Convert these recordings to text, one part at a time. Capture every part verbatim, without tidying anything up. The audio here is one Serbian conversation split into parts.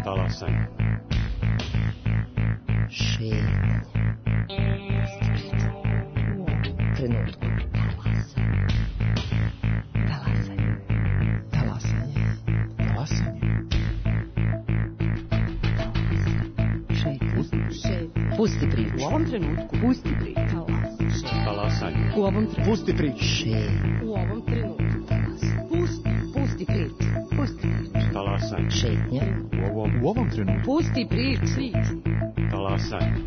Talasanje. Šetnja. U ovom trenutku. Talasanje. Talasanje. Talasanje. Šetnja. Pusti priču. U ovom trenutku. Pusti priču. Talasanje. U ovom trenutku. Pusti priču. Šetnja. U ovom trenutku. Pusti. Pusti priču. Pusti priču. Talasanje. Šetnja. U ovom, u ovom trenutku. Pusti priču. Talasanje.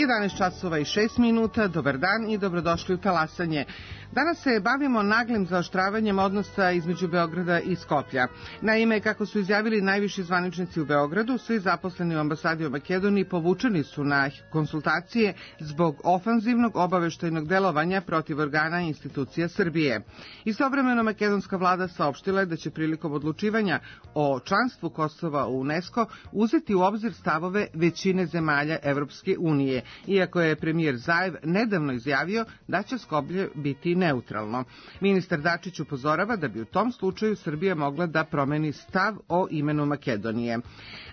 jedanaest časova i šest minuta, dobar dan i dobrodošli u Talasanje. Danas se bavimo naglim zaoštravanjem odnosa između Beograda i Skoplja. Naime, kako su izjavili najviši zvaničnici u Beogradu, svi zaposleni u ambasadi u Makedoniji povučeni su na konsultacije zbog ofanzivnog obaveštajnog delovanja protiv organa i institucija Srbije. Istovremeno, makedonska vlada saopštila je da će prilikom odlučivanja o članstvu Kosova u UNESCO uzeti u obzir stavove većine zemalja Evropske unije, iako je premijer Zaev nedavno izjavio da će Skoplje biti neutralno. Ministar Dačić upozorava da bi u tom slučaju Srbija mogla da promeni stav o imenu Makedonije.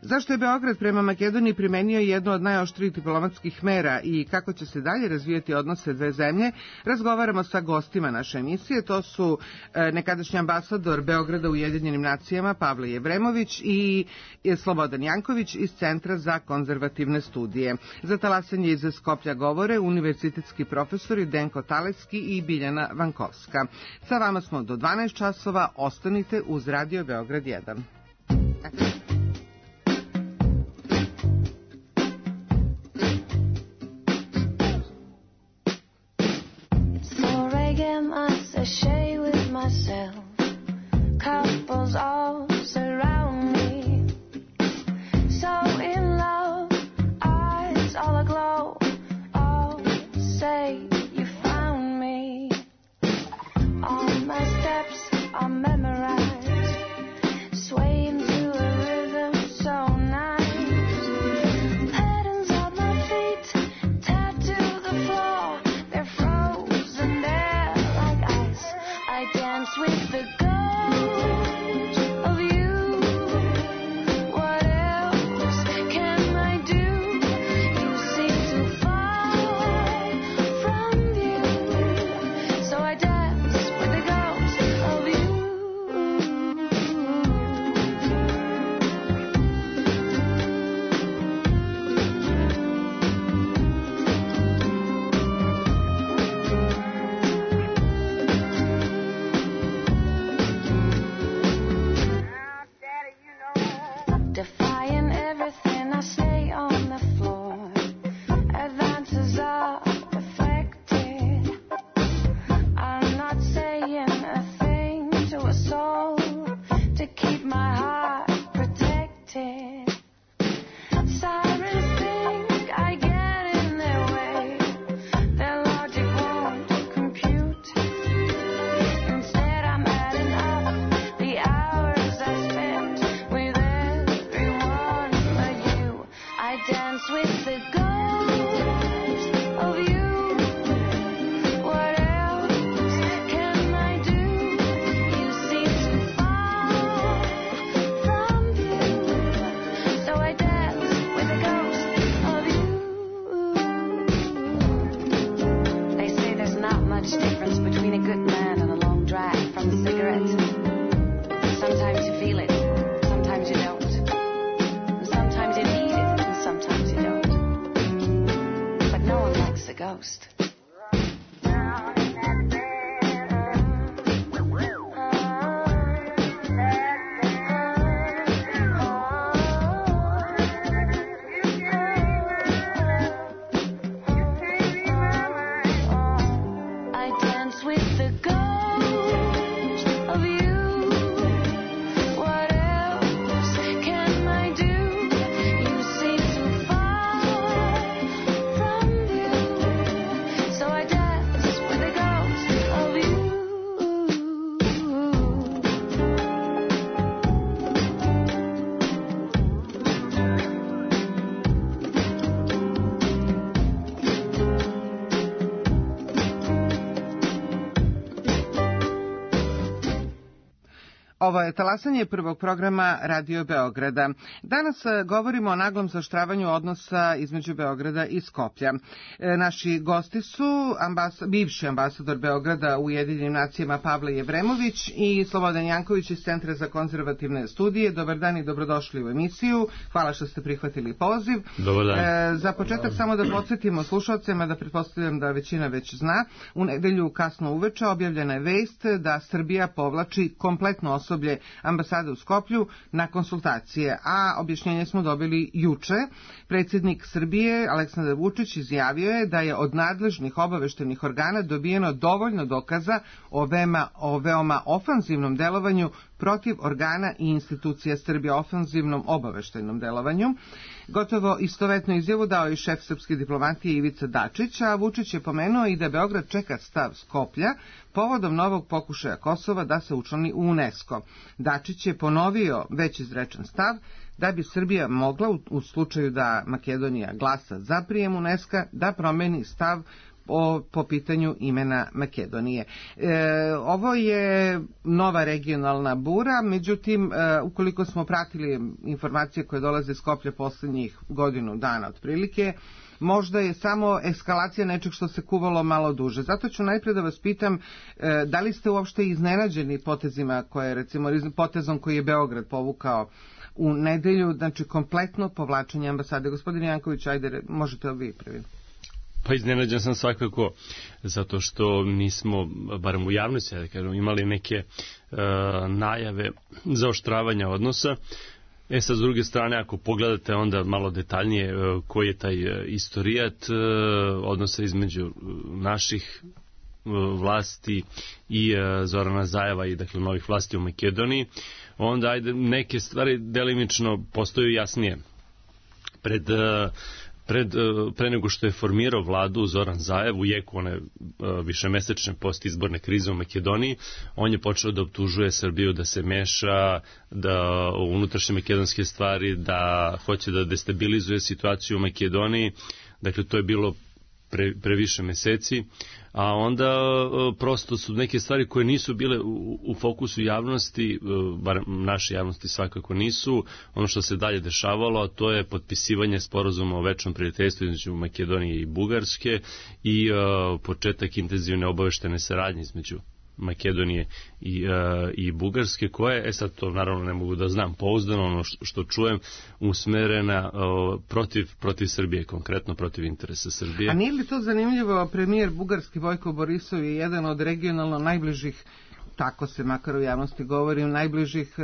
Zašto je Beograd prema Makedoniji primenio jednu od najoštrijih diplomatskih mera i kako će se dalje razvijati odnose dve zemlje, razgovaramo sa gostima naše emisije. To su nekadašnji ambasador Beograda u Ujedinjenim nacijama Pavle Jevremović i Slobodan Janković iz Centra za konzervativne studije. Za Talasanje iz Skoplja govore univerzitetski profesori Denko Taleski i Biljana Vankovska. Sa vama smo do dvanaest časova, ostanite uz Radio Beograd jedan. Ovo je talasanje prvog programa Radio Beograda. Danas govorimo o naglom zaoštravanju odnosa između Beograda i Skoplja. E, naši gosti su ambas, bivši ambasador Beograda u Ujedinjenim nacijama Pavle Jevremović i Slobodan Janković iz Centra za konzervativne studije. Dobar dan i dobrodošli u emisiju. Hvala što ste prihvatili poziv. Dobar dan. E, za početak samo da podsjetimo slušalcima, da pretpostavljam da većina već zna, u nedelju kasno uveče objavljena je vest da Srbija povlači kompletno osoblje ambasade u Skoplju na konsultacije, a objašnjenje smo dobili juče. Predsjednik Srbije Aleksandar Vučić izjavio je da je od nadležnih obaveštenih organa dobijeno dovoljno dokaza o veoma, o veoma ofanzivnom delovanju protiv organa i institucija Srbije, ofanzivnom obaveštajnom delovanju. Gotovo istovetnu izjavu dao i šef srpske diplomatije Ivica Dačić, a Vučić je pomenuo i da Beograd čeka stav Skoplja povodom novog pokušaja Kosova da se učlani u UNESCO. Dačić je ponovio već izrečen stav da bi Srbija mogla, u, u slučaju da Makedonija glasa za prijem UNESCO, da promeni stav O, po pitanju imena Makedonije. E, ovo je nova regionalna bura, međutim, e, ukoliko smo pratili informacije koje dolaze iz Skoplja posljednjih godinu dana otprilike, možda je samo eskalacija nečeg što se kuvalo malo duže. Zato ću najprije da vas pitam, e, da li ste uopšte iznenađeni potezima koje, recimo, potezom koji je Beograd povukao u nedelju, znači kompletno povlačenje ambasade. Gospodin Janković, ajde, možete vi prvi. Pa iznenađen sam svakako, zato što nismo, barem u javnosti, da kažem, imali neke e, najave zaoštravanja odnosa. E sad, s druge strane, ako pogledate onda malo detaljnije e, koji je taj e, istorijat e, odnosa između naših e, vlasti i e, Zorana Zajeva i dakle novih vlasti u Makedoniji, onda ajde neke stvari delimično postaju jasnije. Pred e, Pred, pre nego što je formirao vladu Zoran Zajev u jeku one višemesečne postizborne krize u Makedoniji, on je počeo da optužuje Srbiju da se meša da u unutrašnje makedonske stvari, da hoće da destabilizuje situaciju u Makedoniji. Dakle, to je bilo pre, pre više meseci, a onda prosto su neke stvari koje nisu bile u, u fokusu javnosti, bar naše javnosti svakako nisu, ono što se dalje dešavalo, a to je potpisivanje sporazuma o večnom prijateljstvu između Makedonije i Bugarske i uh, početak intenzivne obaveštene saradnje između Makedonije i, uh, i Bugarske, koje, e sad to naravno ne mogu da znam pouzdano, ono što, što čujem, usmerena uh, protiv, protiv Srbije, konkretno protiv interesa Srbije. A nije li to zanimljivo, premijer Bugarski Vojko Borisov je jedan od regionalno najbližih, tako se makar u javnosti govori, najbližih,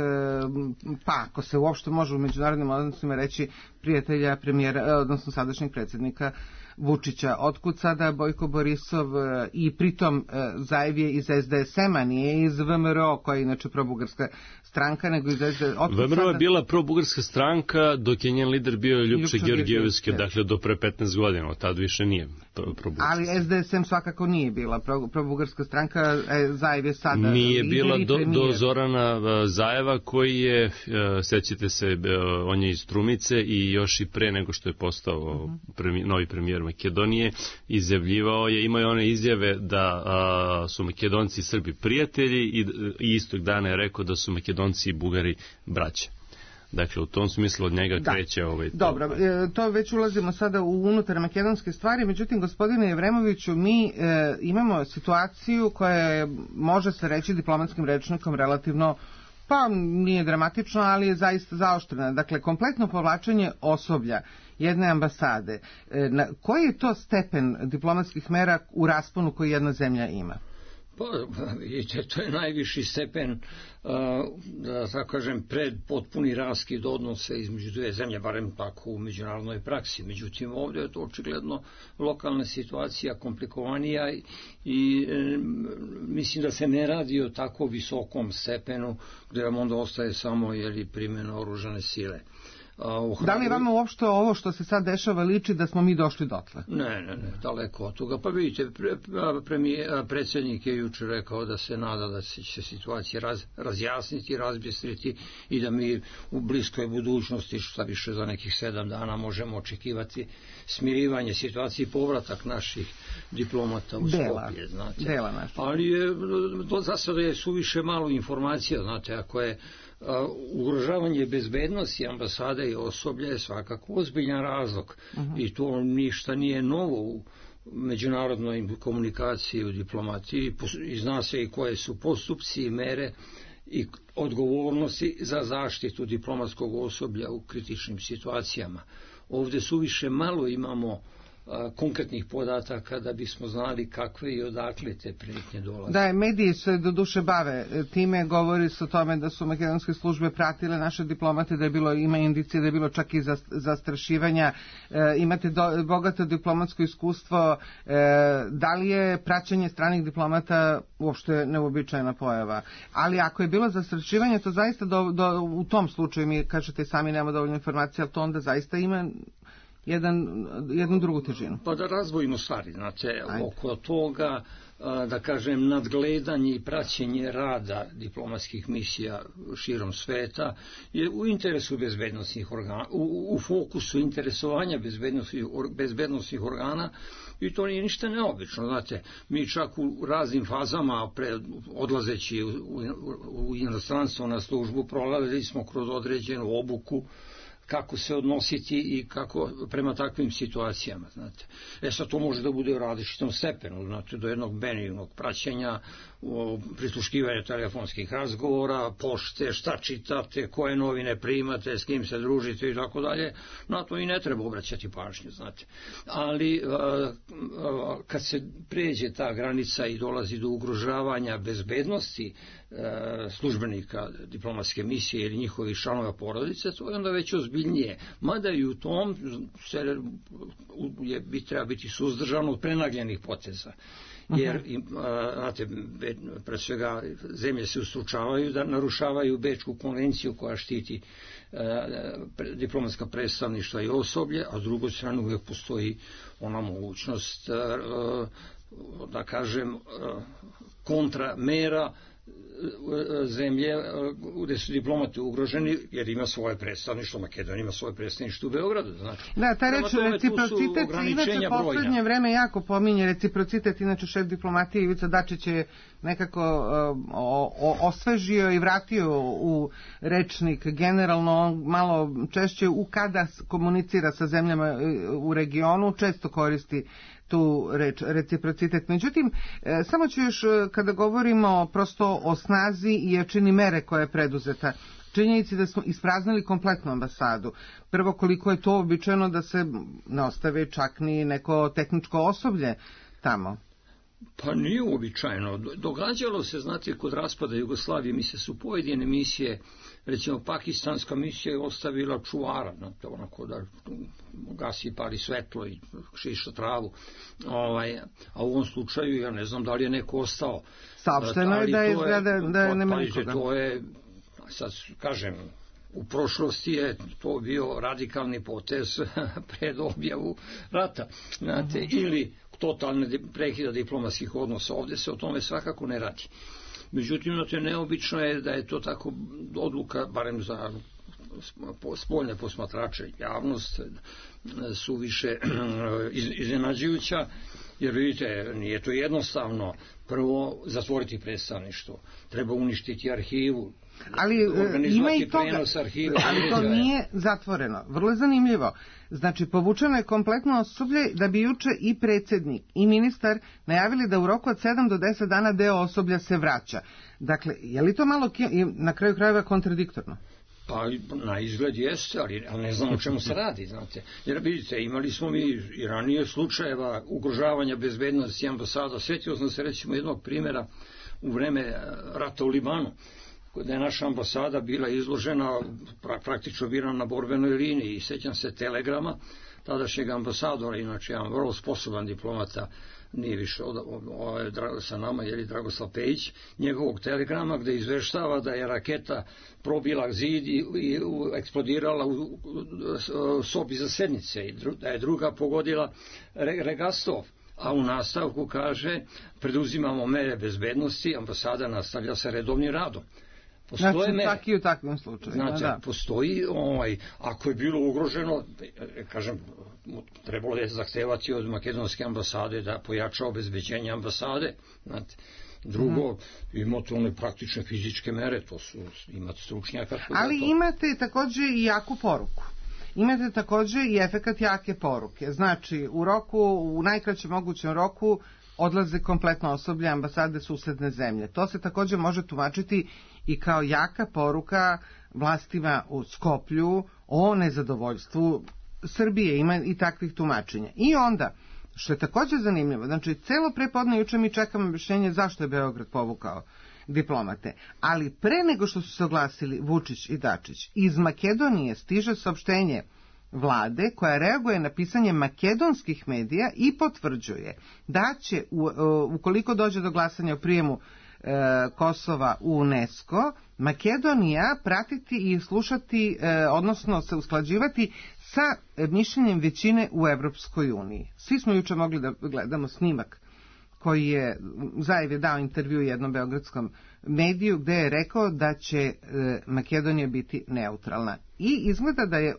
pa ako se uopšte može u međunarodnim odnosima reći, prijatelja premijera, odnosno sadašnjeg predsjednika Vučića. Otkud sada Bojko Borisov i pritom Zajev je iz es de es em-a, nije iz ve em er o, koja je inače probugarska stranka, nego iz es de es em-a. ve em er o je bila probugarska stranka dok je njen lider bio Ljupša Georgijevski, dakle do pre petnaest godina, od tad više nije probugarska. Ali es de es em svakako nije bila probugarska stranka, Zajev je sada nije bila do, do Zorana Zajeva koji je, sećate se, on je iz Strumice i još i pre nego što je postao premi, novi premijer Makedonije, izjavljivao je, imao je one izjave da a, su Makedonci i Srbi prijatelji i, i istog dana je rekao da su Makedonci i Bugari braća. Dakle, u tom smislu od njega da. kreće ovaj... Dobro, to već ulazimo sada u unutar makedonske stvari, međutim, gospodine Jevremoviću, mi e, imamo situaciju koja je, može se reći diplomatskim rečnikom, relativno, pa nije dramatično, ali je zaista zaoštrena. Dakle, kompletno povlačenje osoblja jedne ambasade. E, na, koji je to stepen diplomatskih mera u rasponu koji jedna zemlja ima? Pa, vidite, to je najviši stepen, da tako kažem, pred potpuni raskid odnosa između dve zemlje, barem tako u međunarodnoj praksi. Međutim, ovdje je to očigledno lokalna situacija komplikovanija i e, mislim da se ne radi o tako visokom stepenu gdje vam onda ostaje samo jeli, primjena oružane sile. Da li vama uopšte ovo što se sad dešava liči da smo mi došli dotle? Ne, ne, ne, daleko od toga. Pa vidite, pre, premije, predsjednik je juče rekao da se nada da će se situacija raz, razjasniti, razbistriti i da mi u bliskoj budućnosti, šta više za nekih sedam dana, možemo očekivati smirivanje situacije i povratak naših diplomata u Skopje, znate. Dela naša. Ali je, do, za sada je suviše malo informacija, znate, ako je a, ugrožavanje bezbednosti ambasade i osoblja je svakako ozbiljan razlog. Uh-huh. I to ništa nije novo u međunarodnoj komunikaciji, u diplomatiji, i zna se i koje su postupci i mere i odgovornosti za zaštitu diplomatskog osoblja u kritičnim situacijama. Ovdje suviše malo imamo a, konkretnih podataka da bismo znali kakve i odakle te prijetnje dolaze. Da, mediji se do duše bave time, govori se o tome da su makedonske službe pratile naše diplomate, da je bilo, ima indicije da je bilo čak i zastrašivanja. E, imate do, bogato diplomatsko iskustvo. E, da li je praćenje stranih diplomata uopšte neuobičajena pojava? Ali ako je bilo zastrašivanje, to zaista do, do, u tom slučaju, mi kažete sami nemamo dovoljno informacija, ali to onda zaista ima jedan, jednu drugu težinu. Pa da razvojimo stvari, znate, Ajde. oko toga, da kažem, nadgledanje i praćenje rada diplomatskih misija širom sveta je u interesu bezbednosnih organa, u, u fokusu interesovanja bezbednosnih, bezbednosnih organa, i to nije ništa neobično, znate, mi čak u raznim fazama pred, odlazeći u, u, u inostranstvo na službu prolazili smo kroz određenu obuku kako se odnositi i kako prema takvim situacijama, znate. E sad to može da bude u različitom stepenu, znate, do jednog benignog praćenja, prisluškivanja telefonskih razgovora, pošte, šta čitate, koje novine primate, s kim se družite i tako dalje. Na to i ne treba obraćati pažnju, znate. Ali kad se pređe ta granica i dolazi do ugrožavanja bezbednosti službenika diplomatske misije ili njihovih članova porodice, to je onda već ozbiljnije. Mada i u tom se je, bi treba biti suzdržano od prenagljenih poteza. Jer, znate, pre svega zemlje se ustručavaju da narušavaju Bečku konvenciju koja štiti diplomatska predstavništva i osoblje, a s drugoj strane uvijek postoji ona mogućnost, da kažem, kontramera zemlje gdje su diplomati ugroženi, jer ima svoje predstavništvo, Makedonija ima svoje predstavništvo u Beogradu, znači. Da, ta reč reciprocitet se inače poslednje vreme jako pominje, reciprocitet, inače šef diplomatije Ivica Dačić je nekako uh, o, osvežio i vratio u rečnik generalno, malo češće u kada komunicira sa zemljama u regionu, često koristi tu reč, reciprocitet. Međutim, e, samo ću još, kada govorimo prosto o snazi i jačini mere koja je preduzeta, činjenici da smo ispraznili kompletnu ambasadu. Prvo, koliko je to običajno da se ne ostave čak ni neko tehničko osoblje tamo? Pa nije uobičajeno. Događalo se, znate, kod raspada Jugoslavije, mi se su pojedine misije, recimo pakistanska misija je ostavila čuvara, znate, onako da gasi, pali svetlo i šiša travu. Ovaj, a u ovom slučaju, ja ne znam da li je neko ostao. Saopšteno je da je izgleda da je nema nikoga. To je, sad kažem, u prošlosti je to bio radikalni potez pred objavu rata, znate, uh-huh. ili totalne prekida diplomatskih odnosa. Ovdje se o tome svakako ne radi. Međutim, znate, neobično je da je to tako odluka, barem za spoljne posmatrače, javnost, su više iznenađujuća, jer vidite, nije to jednostavno. Prvo, zatvoriti predstavništvo, treba uništiti arhivu, ali ima i toga, ali to nije zatvoreno. Vrlo je zanimljivo. Znači, povučeno je kompletno osoblje da bi juče i predsjednik i ministar najavili da u roku od sedam do deset dana deo osoblja se vraća. Dakle, je li to malo na kraju krajeva kontradiktorno? Pa na izgled jeste, ali, ali ne znam o čemu se radi, znate. Jer vidite, imali smo mi i ranije slučajeva ugrožavanja bezbednosti ambasada. Sjetio sam se recimo jednog primjera u vreme rata u Libanu, da je naša ambasada bila izložena, praktično bila na borbenoj liniji, i sjećam se telegrama, tadašnjeg ambasadora, inače jedan vrlo sposoban diplomata, nije više od, od, od, sa nama, je li Dragoslav Pejić, njegovog telegrama gde izveštava da je raketa probila zid i, i u, eksplodirala u, u, u sobi za sednice i dru, da je druga pogodila re, Regastov. A u nastavku kaže, preduzimamo mere bezbednosti, ambasada nastavlja sa redovnim radom. Postoje znači, mere. Čak i u takvim slučajima. Znači, da. Postoji, ovaj, ako je bilo ugroženo, kažem, trebalo je zahtevati od makedonske ambasade da pojača obezbeđenje ambasade. Znači, drugo, mm. imate one praktične fizičke mere, to su, imate stručnjaka. Ali imate takođe i jaku poruku. Imate takođe i efekat jake poruke. Znači, u roku, u najkraćem mogućem roku odlaze kompletno osoblje ambasade susedne zemlje. To se takođe može tumačiti i kao jaka poruka vlastima u Skoplju o nezadovoljstvu Srbije. Ima i takvih tumačenja. I onda, što je takođe zanimljivo, znači, celo prepodne juče mi čekamo objašnjenje zašto je Beograd povukao diplomate. Ali pre nego što su se oglasili Vučić i Dačić, iz Makedonije stiže saopštenje vlade koja reaguje na pisanje makedonskih medija i potvrđuje da će, u, ukoliko dođe do glasanja o prijemu e, Kosova u UNESCO, Makedonija pratiti i slušati, e, odnosno se usklađivati sa mišljenjem većine u Evropskoj uniji. Svi smo juče mogli da gledamo snimak koji je Zajev je dao intervju jednom beogradskom mediju gde je rekao da će e, Makedonija biti neutralna. I izgleda da je,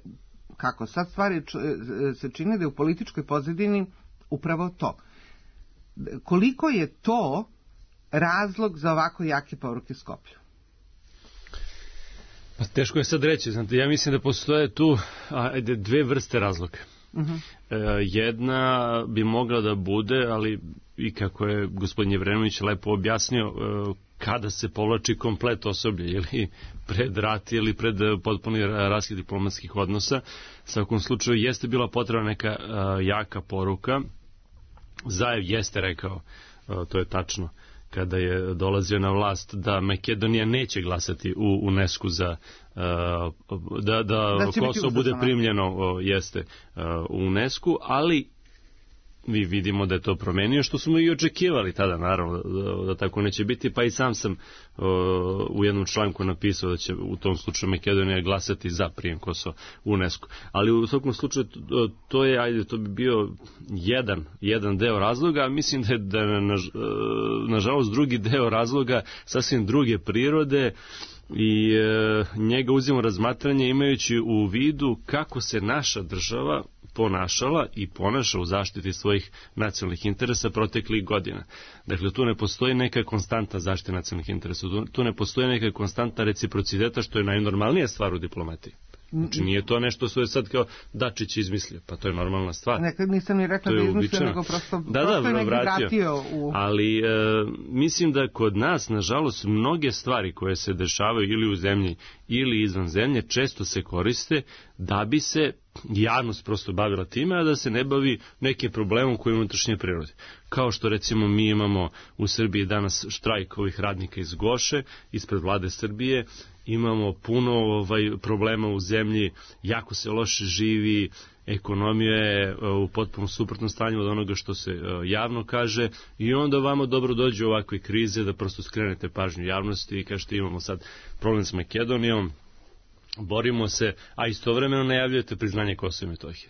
kako sad stvari se čine, da je u političkoj pozadini upravo to. Koliko je to razlog za ovako jake poruke Skoplju? Pa teško je sad reći. Znate, ja mislim da postoje tu ajde, dve vrste razloga. Uh-huh. E, jedna bi mogla da bude, ali i kako je gospodin Jevrenović lepo objasnio, e, kada se povlači komplet osoblje, ili pred rat ili pred potpuni raskid diplomatskih odnosa. U svakom slučaju jeste bila potrebna neka a, jaka poruka. Zajev jeste rekao, a, to je tačno, kada je dolazio na vlast, da Makedonija neće glasati u UNESCO za a, da, da, da Kosovo bude primljeno, a, jeste a, u UNESCO, ali mi vidimo da je to promenio, što smo i očekivali tada, naravno, da, da tako neće biti, pa i sam sam uh, u jednom članku napisao da će u tom slučaju Makedonija glasati za prijem Kosova u UNESCO. Ali u svakom slučaju to, to je, ajde, to bi bio jedan, jedan deo razloga, a mislim da je, da je na, nažalost drugi deo razloga sasvim druge prirode, i e, njega uzimamo razmatranje imajući u vidu kako se naša država ponašala i ponaša u zaštiti svojih nacionalnih interesa proteklih godina. Dakle, tu ne postoji neka konstanta zaštite nacionalnih interesa, tu, tu ne postoji neka konstanta reciprociteta, što je najnormalnija stvar u diplomatiji. Znači, nije to nešto što je sad kao Dačić izmislio, pa to je normalna stvar. Nekad nisam ni rekla da izmislio, nego prosto, da, prosto da, je negdje vratio u... Ali e, mislim da kod nas, nažalost, mnoge stvari koje se dešavaju ili u zemlji ili izvan zemlje često se koriste da bi se javnost prosto bavila time, a da se ne bavi nekim problemom koji je unutrašnje prirode. Kao što recimo mi imamo u Srbiji danas štrajk ovih radnika iz Goše, ispred vlade Srbije, imamo puno ovaj, problema u zemlji, jako se loše živi, ekonomija je u potpuno suprotnom stanju od onoga što se javno kaže, i onda vama dobro dođe ovakve krize da prosto skrenete pažnju javnosti i kažete imamo sad problem s Makedonijom, borimo se, a istovremeno najavljujete priznanje Kosova i Metohije.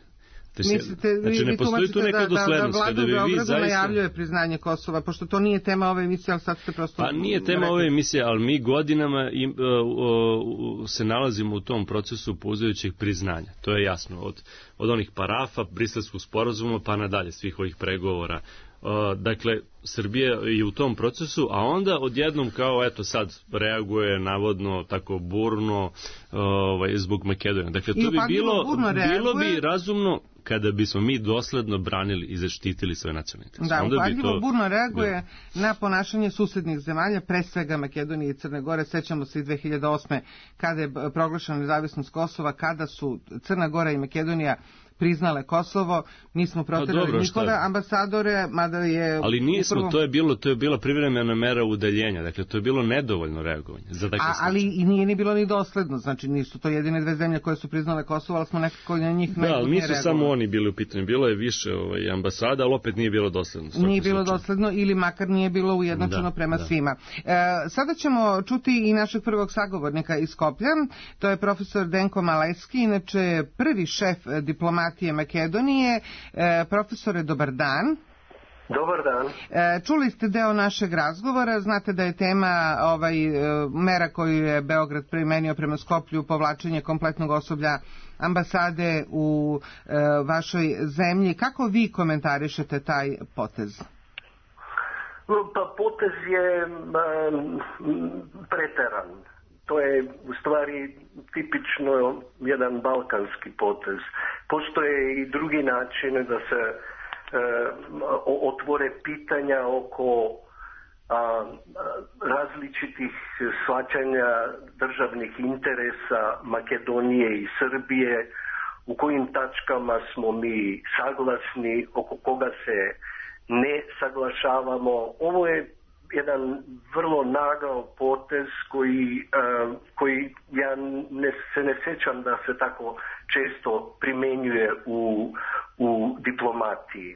Mislite, znači, ne postoji tu neka doslednost. Da, da, da vlada u Beogradu zaista... najavljuje priznanje Kosova, pošto to nije tema ove emisije, ali sad ste prosto... Pa nije tema rekli. Ove emisije, ali mi godinama im, uh, uh, se nalazimo u tom procesu pouzajućeg priznanja. To je jasno. Od, od onih parafa, Briselskog sporazuma, pa nadalje, svih ovih pregovora. Uh, dakle, Srbija je u tom procesu, a onda odjednom kao, eto sad, reaguje navodno tako burno uh, ovaj, zbog Makedonije. Dakle, to bi bilo, bilo bi razumno kada bismo mi dosledno branili i zaštitili svoje nacionalne interese. Da, upadljivo to... burno reaguje bilo... na ponašanje susednih zemalja, pre svega Makedonije i Crne Gore. Sećamo se i dve hiljade osme kada je proglašena nezavisnost Kosova, kada su Crna Gora i Makedonija priznale Kosovo, mi smo proterali dobro, njihove šta? ambasadore, mada je... Ali nismo, upravo... to je bilo to je bila privremena mera udaljenja, dakle to je bilo nedovoljno reagovanje za takve A, ali i nije ni bilo ni dosledno, znači nisu to jedine dve zemlje koje su priznale Kosovo, ali smo nekako na njih da, ali nisu reagovali. samo oni bili u pitanju, bilo je više ovaj, ambasada, ali opet nije bilo dosledno. Nije bilo slučaju. dosledno ili makar nije bilo ujednačeno da, prema da. svima. E, sada ćemo čuti i našeg prvog sagovornika iz Skoplja, to je profesor Denko Maleski, inače prvi šef diplomatije Makedonije. E, profesore, dobar dan. Dobar dan. E, čuli ste deo našeg razgovora, znate da je tema ovaj, e, mera koju je Beograd primenio prema Skoplju, povlačenje kompletnog osoblja ambasade u e, vašoj zemlji. Kako vi komentarišete taj potez? Pa potez je um, preteran. To je u stvari tipično jedan balkanski potez. Postoje i drugi načini da se uh, otvore pitanja oko uh, različitih shvaćanja državnih interesa Makedonije i Srbije, u kojim tačkama smo mi saglasni, oko koga se ne saglašavamo. Ovo je jedan vrlo nagao potez koji, uh, koji ja ne, se ne sjećam da se tako često primjenjuje u, u diplomatiji.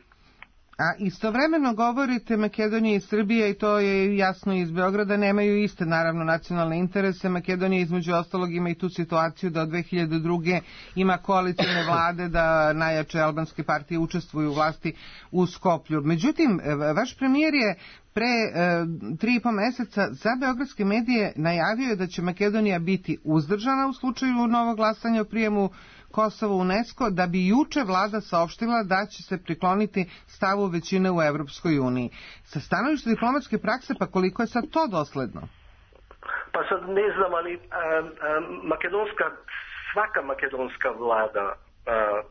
A istovremeno govorite Makedonija i Srbija, i to je jasno iz Beograda, nemaju iste naravno nacionalne interese. Makedonija između ostalog ima i tu situaciju da od dve hiljade druge ima koalicijne vlade, da najjače albanske partije učestvuju u vlasti u Skoplju. Međutim, vaš premijer je pre e, tri i po meseca za beogradske medije najavio da će Makedonija biti uzdržana u slučaju novog glasanja o prijemu Kosovo u UNESCO, da bi juče vlada saopštila da će se prikloniti stavu većine u Evropskoj uniji. Sa stanovišta diplomatske prakse, pa koliko je sad to dosledno? Pa sad ne znam, ali a, a, makedonska, svaka makedonska vlada, a,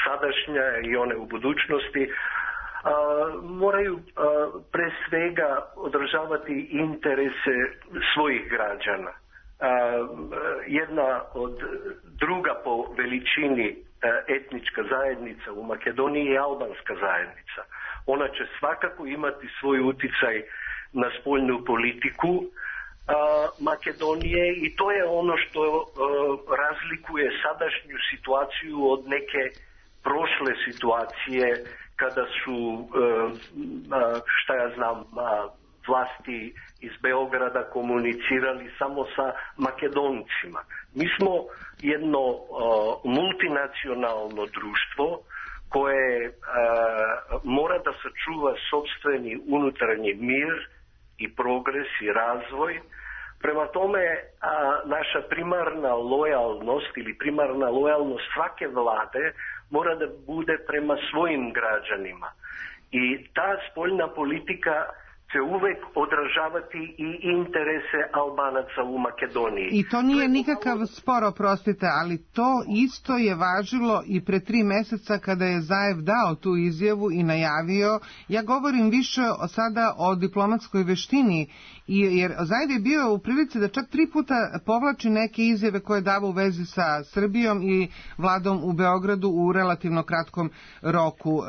sadašnja i one u budućnosti, a, moraju a, pre svega održavati interese svojih građana. Uh, jedna od druga po veličini uh, etnička zajednica u Makedoniji je albanska zajednica. Ona će svakako imati svoj uticaj na spoljnu politiku uh, Makedonije i to je ono što uh, razlikuje sadašnju situaciju od neke prošle situacije kada su, uh, uh, šta ja znam, uh, vlasti iz Beograda komunicirali samo sa Makedoncima. Mi smo jedno uh, multinacionalno društvo koje uh, mora da sačuva sopstveni unutarnji mir i progres i razvoj. Prema tome, uh, naša primarna lojalnost ili primarna lojalnost svake vlade mora da bude prema svojim građanima. I ta spoljna politika će uvek odražavati i interese Albanaca u Makedoniji. I to nije nikakav spor, oprostite, ali to isto je važilo i pre tri meseca kada je Zaev dao tu izjavu i najavio. Ja govorim više sada o diplomatskoj veštini, jer Zaev je bio u prilici da čak tri puta povlači neke izjave koje dava u vezi sa Srbijom i vladom u Beogradu u relativno kratkom roku.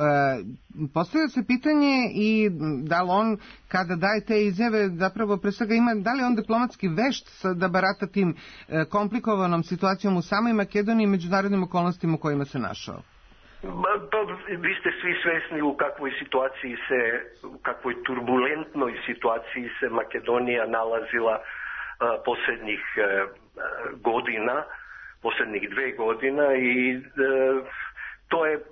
Postavlja se pitanje i da li on, kada daje te izjave, zapravo pre svega ima, da li on diplomatski vešt da barata tim komplikovanom situacijom u samoj Makedoniji i međunarodnim okolnostima u kojima se našao? Pa, vi ste svi svesni u kakvoj situaciji se, u kakvoj turbulentnoj situaciji se Makedonija nalazila uh, posljednjih uh, godina, posljednjih dve godina i uh, to je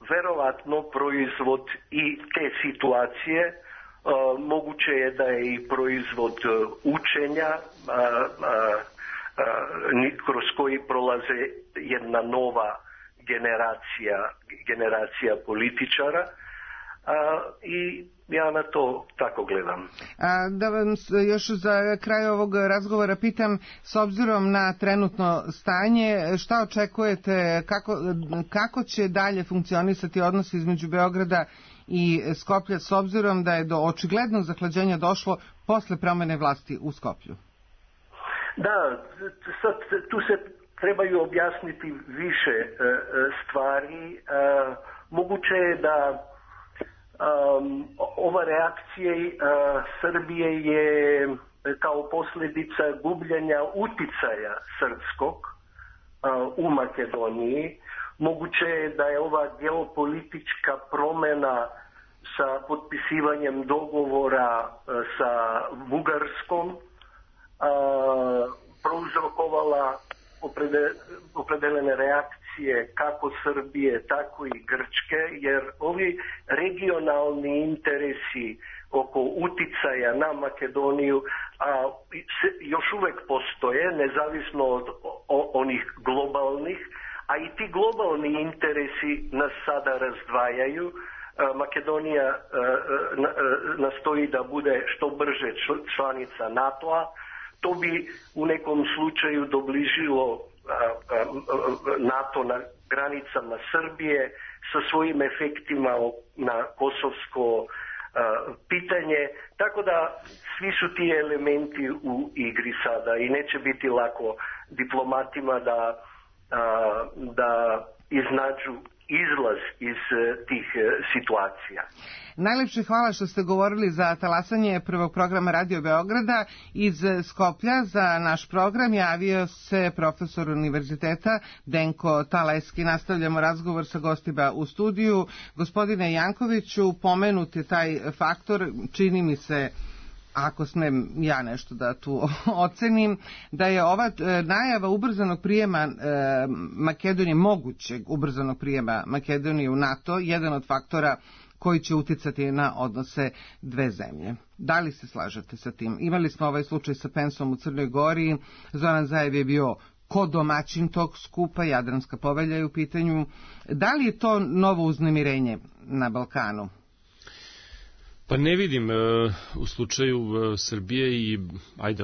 verovatno proizvod i te situacije. Uh, moguće je da je i proizvod uh, učenja uh, uh, uh, kroz koji prolaze jedna nova generacija, generacija političara uh, i ja na to tako gledam. A, da vam još za kraj ovog razgovora pitam, s obzirom na trenutno stanje, šta očekujete, kako, kako će dalje funkcionisati odnos između Beograda i Skoplja, s obzirom da je do očiglednog zahlađenja došlo posle promene vlasti u Skoplju? Da, sad tu se trebaju objasniti više stvari. Moguće je da um, ova reakcija uh, Srbije je kao posljedica gubljenja uticaja srpskog uh, u Makedoniji. Moguće je da je ova geopolitička promjena sa potpisivanjem dogovora uh, sa Bugarskom uh, prouzrokovala opredeljene reakcije kako Srbije, tako i Grčke, jer ovi regionalni interesi oko uticaja na Makedoniju a, se, još uvek postoje, nezavisno od o, onih globalnih, a i ti globalni interesi nas sada razdvajaju. A, Makedonija a, a, nastoji da bude što brže članica NATO-a. To bi u nekom slučaju dobližilo NATO na granicama Srbije sa svojim efektima na kosovsko pitanje. Tako da svi su ti elementi u igri sada i neće biti lako diplomatima da, da iznađu izlaz iz tih situacija. Najlepše hvala što ste govorili za talasanje prvog programa Radio Beograda. Iz Skoplja za naš program javio se profesor univerziteta Denko Taleski. Nastavljamo razgovor sa gostima u studiju. Gospodine Jankoviću, pomenut je taj faktor, čini mi se, ako smem ja nešto da tu ocenim, da je ova najava ubrzanog prijema e, Makedonije, mogućeg ubrzanog prijema Makedonije u NATO, jedan od faktora koji će uticati na odnose dve zemlje. Da li se slažete sa tim? Imali smo ovaj slučaj sa Pensom u Crnoj Gori, Zoran Zaev je bio kodomaćin tog skupa, Jadranska povelja je u pitanju. Da li je to novo uznemirenje na Balkanu? Pa ne vidim, u slučaju Srbije i ajde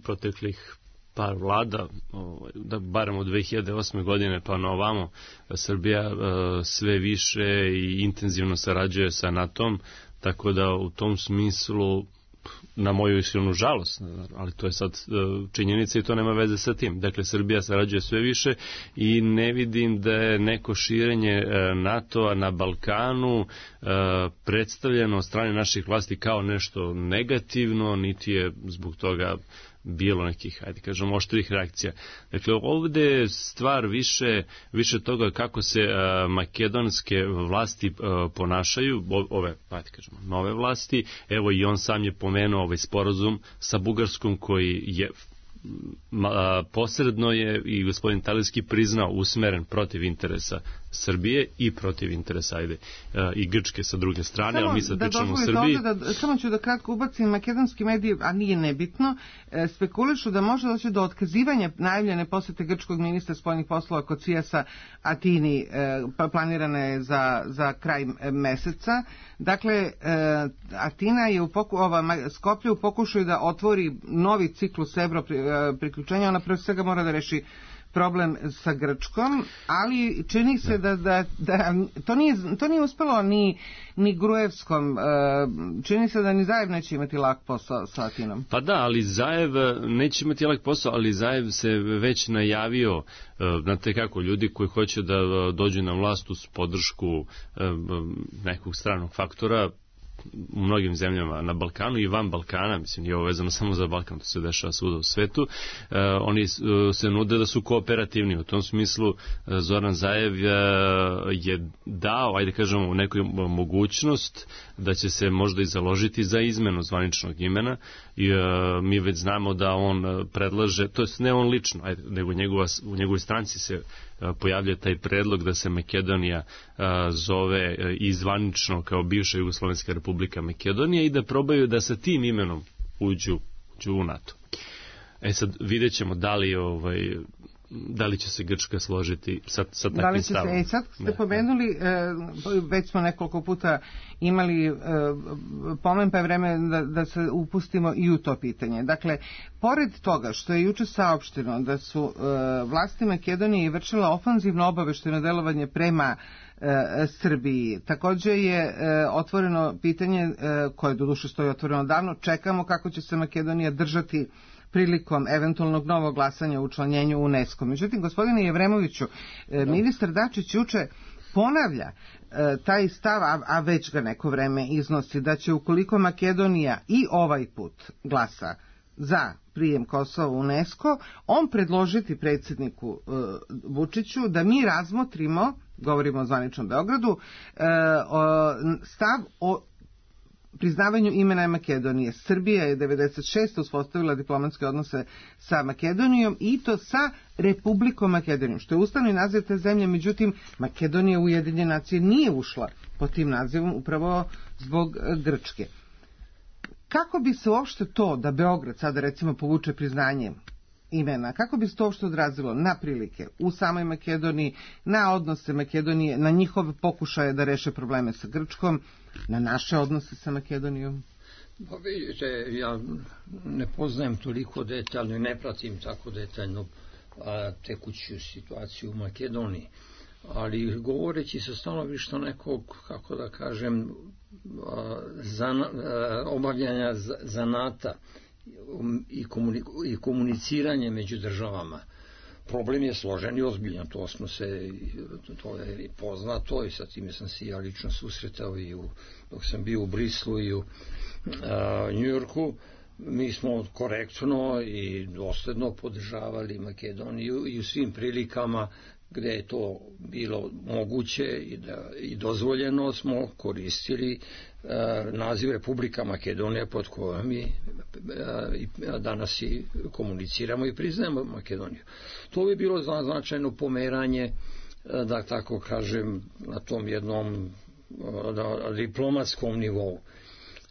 proteklih par vlada, da barem od dve hiljade osme godine pa na ovamo, Srbija sve više i intenzivno sarađuje sa NATO-om, tako da u tom smislu, na moju iskrenu žalost, ali to je sad činjenica i to nema veze sa tim. Dakle, Srbija sarađuje sve više i ne vidim da je neko širenje NATO-a na Balkanu predstavljeno od strane naših vlasti kao nešto negativno, niti je zbog toga bilo nekih, ajde kažemo, oštrih reakcija. Dakle, ovdje je stvar više, više toga kako se uh, makedonske vlasti uh, ponašaju, ove, ajde kažemo, nove vlasti. Evo i on sam je pomenuo ovaj sporazum sa Bugarskom koji je ma, posredno je i gospodin Taleski priznao usmeren protiv interesa Srbije i protiv interesa ajde, i Grčke sa druge strane, samo ali mi sad pričamo o Srbiji. Da, samo ću da kratko ubacim, makedonski mediji, a nije nebitno, spekulišu da može doći do otkazivanja najavljene posete grčkog ministra spoljnih poslova Kocijasa Atini, planirana je za, za kraj meseca. Dakle, Atina je u poku, ova, Skoplje u pokušaju da otvori novi ciklus evro priključenja, ona prvo svega mora da reši problem sa Grčkom, ali čini se da, da, da to, nije, to nije uspelo ni, ni Gruevskom, čini se da ni Zaev neće imati lak posao sa Atinom. Pa da, ali Zaev neće imati lak posao, ali Zaev se već najavio, znate kako, ljudi koji hoće da dođu na vlast uz podršku nekog stranog faktora, u mnogim zemljama na Balkanu i van Balkana, mislim, nije ovo vezano samo za Balkan, to se dešava svuda u svetu, uh, oni uh, se nude da su kooperativni. U tom smislu uh, Zoran Zaev uh, je dao, ajde kažemo, neku mogućnost da će se možda i založiti za izmenu zvaničnog imena i uh, mi već znamo da on predlaže, to je ne on lično, ajde, nego njegova, u njegovoj stranci se pojavlja taj predlog da se Makedonija a, zove i zvanično kao bivša Jugoslovenska republika Makedonija i da probaju da sa tim imenom uđu, uđu u NATO. E sad vidjet ćemo da li, ovaj, da li će se Grčka složiti sa, sa takvim stavom. E, sad ste da, pomenuli, e, već smo nekoliko puta imali e, pomen, pa je vreme da, da se upustimo i u to pitanje. Dakle, pored toga što je juče saopšteno da su e, vlasti Makedonije vršila ofanzivno obavešteno delovanje prema e, Srbiji, također je e, otvoreno pitanje e, koje doduše stoji otvoreno davno, čekamo kako će se Makedonija držati prilikom eventualnog novog glasanja u učlanjenju u UNESCO. Međutim, gospodine Jevremoviću, ministar Dačić juče ponavlja e, taj stav, a, a već ga neko vreme iznosi, da će ukoliko Makedonija i ovaj put glasa za prijem Kosova u UNESCO, on predložiti predsjedniku e, Vučiću da mi razmotrimo, govorimo o zvaničnom Beogradu, e, o, stav o priznavanju imena Makedonije. Srbija je devedeset šeste uspostavila diplomatske odnose sa Makedonijom i to sa Republikom Makedonijom, što je ustavni naziv te zemlje, međutim Makedonija u Ujedinjene nacije nije ušla pod tim nazivom upravo zbog Grčke. Kako bi se uopšte to da Beograd sada recimo povuče priznanje imena, kako bi se to uopšte odrazilo na prilike u samoj Makedoniji, na odnose Makedonije, na njihove pokušaje da reše probleme sa Grčkom, na naše odnose sa Makedonijom? Pa vidite, ja ne poznajem toliko detaljno i ne pratim tako detaljno a, tekuću situaciju u Makedoniji, ali govoreći sa stanovišta nekog, kako da kažem, a, zana, a, obavljanja zanata i, komuniku, i komuniciranje među državama, problem je složen i ozbiljan, to smo se, to je poznato i sa time sam se ja lično susretao i u, dok sam bio u Brislu i u Njujorku. Mi smo korektno i dosledno podržavali Makedoniju i u svim prilikama gde je to bilo moguće i, da, i dozvoljeno smo koristili uh, naziv Republika Makedonija pod kojom mi uh, danas i komuniciramo i priznajemo Makedoniju. To bi bilo značajno pomeranje, uh, da tako kažem, na tom jednom uh, na diplomatskom nivou. Uh,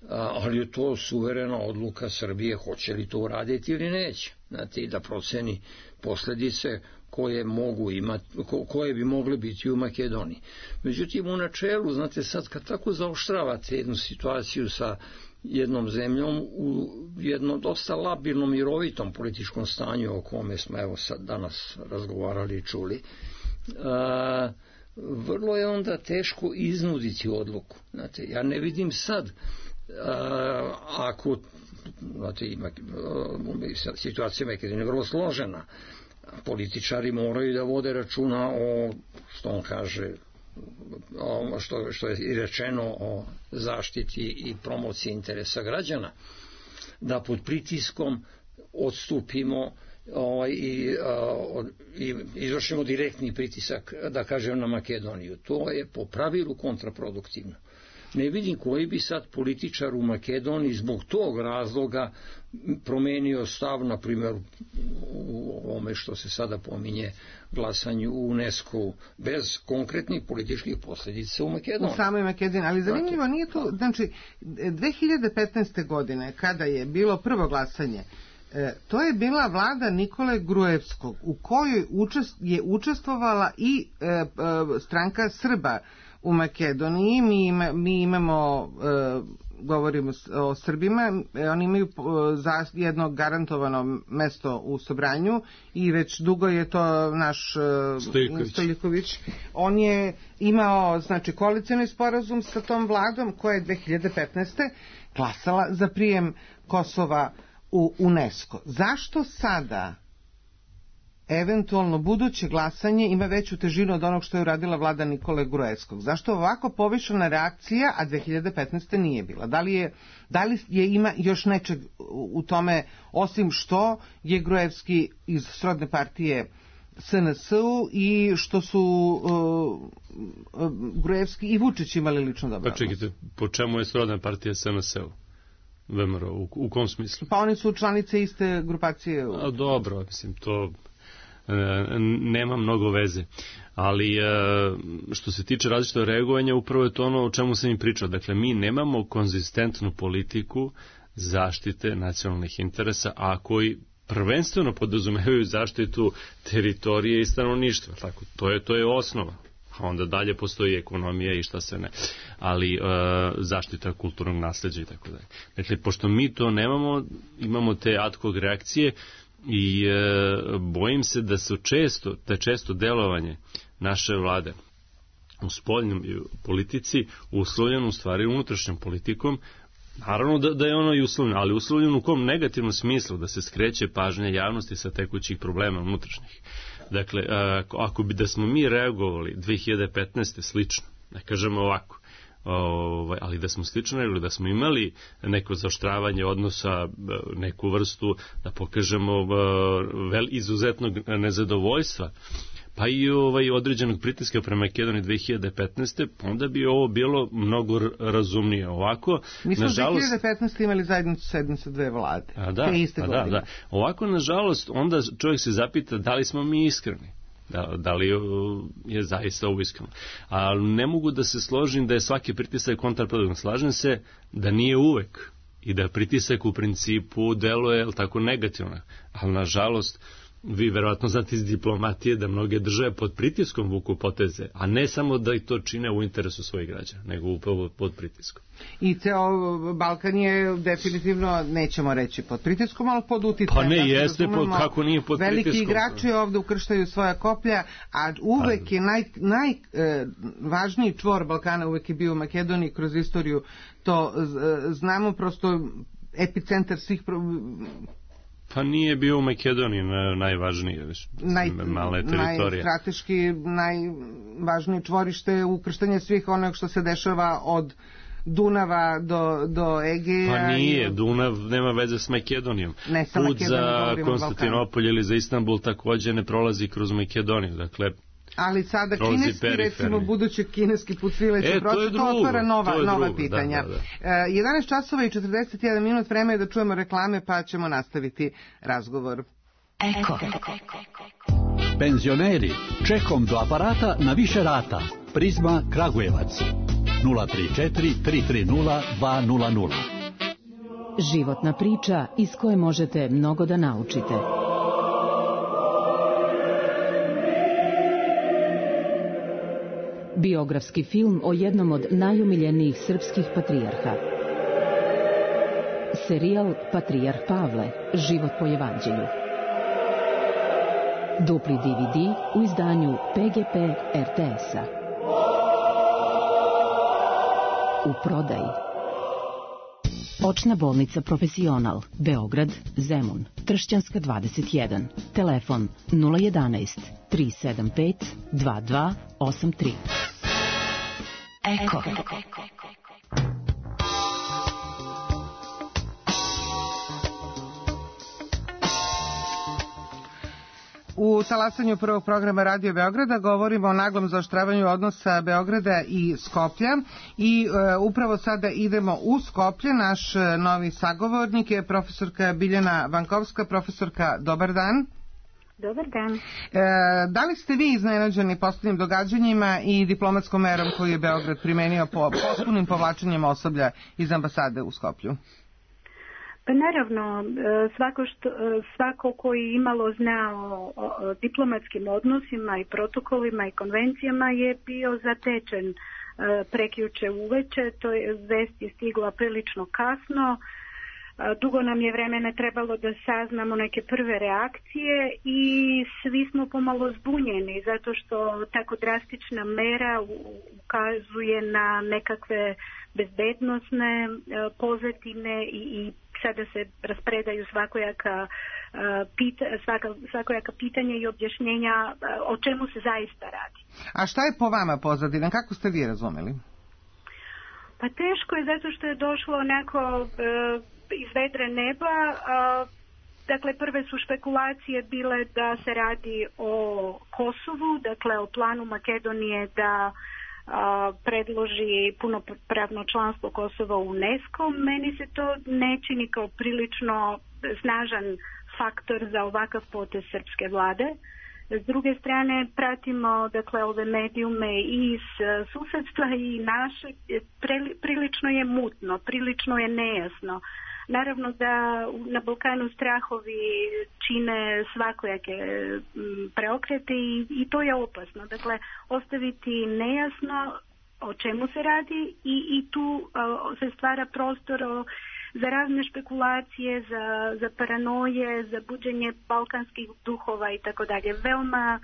ali je to suverena odluka Srbije, hoće li to uraditi ili neće. Znate, da proceni posledice koje mogu imati, koje bi mogle biti u Makedoniji. Međutim, u načelu, znate, sad kad tako zaoštravate jednu situaciju sa jednom zemljom u jednom dosta labilnom i rovitom političkom stanju o kome smo evo sad danas razgovarali i čuli, a, vrlo je onda teško iznuditi odluku. Znate, ja ne vidim sad a, ako, znate, ima, situacija Makedonije je vrlo složena. Političari moraju da vode računa o, što on kaže, o, što, što je i rečeno o zaštiti i promociji interesa građana, da pod pritiskom odstupimo ovaj, i, a, i izvršimo direktni pritisak, da kažem, na Makedoniju. To je po pravilu kontraproduktivno. Ne vidim koji bi sad političar u Makedoniji zbog tog razloga promenio stav, na primjer, u ovome što se sada pominje glasanju u UNESCO bez konkretnih političkih posljedica u Makedoniji. U samoj Makedoniji, ali zanimljivo nije to, znači, dve hiljade petnaeste. godine, kada je bilo prvo glasanje, to je bila vlada Nikole Gruevskog, u kojoj je učestvovala i stranka Srba u Makedoniji. Mi, ima, mi imamo, e, govorimo o Srbima, oni imaju za jedno garantovano mesto u Sobranju i već dugo je to naš Stojiković. Stojiković. On je imao, znači, koalicioni sporazum sa tom vladom koja je dve hiljade petnaeste. glasala za prijem Kosova u UNESCO. Zašto sada eventualno buduće glasanje ima veću težinu od onog što je uradila vlada Nikole Gruevskog? Zašto ovako povišena reakcija, a dve hiljade petnaeste. nije bila? Da li je, da li je ima još nečeg u tome, osim što je Gruevski iz srodne partije S N S-u i što su uh, uh, Gruevski i Vučić imali lično dobro? Pa čekajte, po čemu je srodna partija S N S-u? V M R O, u, u kom smislu? Pa oni su članice iste grupacije. A, dobro, mislim, to nema mnogo veze, ali što se tiče različitog reagovanja, upravo je to ono o čemu sam im pričao. Dakle, mi nemamo konzistentnu politiku zaštite nacionalnih interesa, a koji prvenstveno podrazumevaju zaštitu teritorije i stanovništva. Tako, to je, to je osnova. A onda dalje postoji ekonomija i šta se ne. Ali e, zaštita kulturnog nasleđa i tako dalje. Dakle, pošto mi to nemamo, imamo te ad hoc reakcije, i e, bojim se da su često, da često delovanje naše vlade u spoljnoj politici uslovljeno u stvari unutrašnjom politikom Naravno da, da je ono i uslovljeno, ali uslovljeno u kom negativnom smislu, da se skreće pažnja javnosti sa tekućih problema unutrašnjih. Dakle, ako bi da smo mi reagovali dve hiljade petnaeste slično, ne kažemo ovako, ovaj, ali da smo slično reagovali, da smo imali neko zaoštravanje odnosa, neku vrstu, da pokažemo vel, izuzetnog nezadovoljstva, pa i ovaj određenog pritiska prema Makedoniji dve hiljade petnaeste onda bi ovo bilo mnogo razumnije. Ovako, mi smo nažalost, dve hiljade petnaeste imali zajednicu sednice dve vlade. A da, te iste a godine. da, da. Ovako, nažalost, onda čovjek se zapita da li smo mi iskreni. Da, da li je zaista ovo iskreno. Ali ne mogu da se složim da je svaki pritisak kontraproduktivan. Slažem se da nije uvek i da pritisak u principu deluje tako negativno. Ali, nažalost, vi verovatno znate iz diplomatije da mnoge države pod pritiskom vuku poteze, a ne samo da i to čine u interesu svojih građana, nego upravo pod pritiskom. I ceo Balkan je definitivno, nećemo reći pod pritiskom, ali pod uticajem. Pa ne, da jeste, pod, kako nije pod veliki pritiskom. Veliki igrači ovde ukrštaju svoja koplja, a uvek je najvažniji naj, e, čvor Balkana uvek je bio u Makedoniji kroz istoriju. To e, znamo, prosto epicentar svih pro... Pa nije bio u Makedoniji najvažniji, Naj, male teritorije. Najstrateški, najvažniji čvorište ukrštanje svih onog što se dešava od Dunava do, do Egeja. Pa nije, i... Dunav nema veze s Makedonijom. Ne, sa Put Makedonijom, za Konstantinopolj ili za Istanbul takođe ne prolazi kroz Makedoniju, dakle... Ali sada kineski, recimo budući kineski put svileće e, proces, to, to otvara nova, to nova drugo, pitanja. Da, da, da. jedanaest časova i četrdeset jedan minut, vreme je da čujemo reklame, pa ćemo nastaviti razgovor. Eko. Penzioneri, čekom do aparata na više rata. Prizma Kragujevac. nula tri četiri tri tri nula dva nula nula. Životna priča iz koje možete mnogo da naučite. Biografski film o jednom od najomiljenijih srpskih patrijarha. Serijal Patrijarh Pavle, život po evanđelju. Dupli D V D u izdanju P G P R T S-a. U prodaji. Očna bolnica Profesional, Beograd, Zemun, Tršćanska dvadeset jedan. Telefon nula jedanaest tri sedam pet dva dva osam tri. Eko. U talasanju prvog programa Radio Beograda govorimo o naglom zaoštravanju odnosa Beograda i Skoplja i e, upravo sada idemo u Skoplje. Naš novi sagovornik je profesorka Biljana Vankovska. Profesorka, dobar dan. Dobar dan. E, da li ste vi iznenađeni poslednjim događanjima i diplomatskom merom koju je Beograd primenio po potpunim povlačenjem osoblja iz ambasade u Skoplju? Pa naravno, svako, što, svako koji imalo zna o, o diplomatskim odnosima i protokolima i konvencijama je bio zatečen prekjuče uveče. To je, vest je stigla prilično kasno. Dugo nam je vremena trebalo da saznamo neke prve reakcije i svi smo pomalo zbunjeni zato što tako drastična mera ukazuje na nekakve bezbednosne pozadine i, i sada se raspredaju svakojaka, pita, svaka, svakojaka pitanja i objašnjenja o čemu se zaista radi. A šta je po vama pozadina? Kako ste vi razumeli? Pa teško je zato što je došlo onako e, iz vedre neba. A, dakle, prve su špekulacije bile da se radi o Kosovu, dakle o planu Makedonije da a, predloži punopravno članstvo Kosova u UNESCO. Meni se to ne čini kao prilično snažan faktor za ovakav potez srpske vlade. S druge strane, pratimo dakle ove medijume iz susedstva i naše, prilično je mutno, prilično je nejasno. Naravno da na Balkanu strahovi čine svakojake preokrete i, i to je opasno. Dakle, ostaviti nejasno o čemu se radi i, i tu a, se stvara prostor o, za razne špekulacije, za, za paranoje, za buđenje balkanskih duhova i tako dalje. Veoma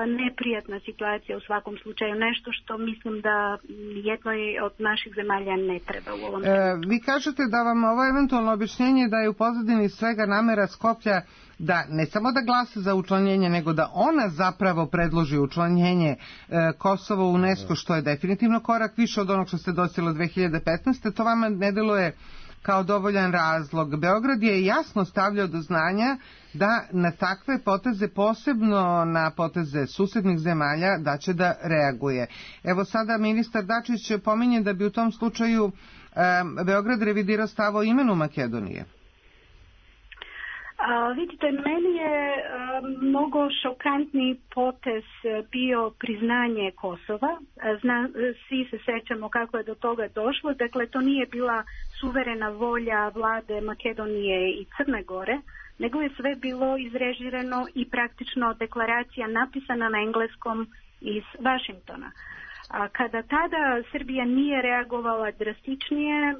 neprijatna situacija u svakom slučaju, nešto što mislim da jednoj od naših zemalja ne treba u ovom trenutku. E, vi kažete da vam ovo eventualno objašnjenje da je u pozadini svega namera Skoplja da ne samo da glasa za učlanjenje, nego da ona zapravo predloži učlanjenje e, Kosova u UNESCO, što je definitivno korak više od onog što ste dostigli dve hiljade petnaeste. To vama ne deluje kao dovoljan razlog. Beograd je jasno stavljao do znanja da na takve poteze, posebno na poteze susednih zemalja, da će da reaguje. Evo sada ministar Dačić pominje da bi u tom slučaju um, Beograd revidirao stav o imenu Makedonije. A, vidite, meni je a, mnogo šokantni potez bio priznanje Kosova. Zna, svi se sećamo kako je do toga došlo. Dakle, to nije bila suverena volja vlade Makedonije i Crne Gore, nego je sve bilo izrežirano i praktično deklaracija napisana na engleskom iz Vašingtona. A kada tada Srbija nije reagovala drastičnije,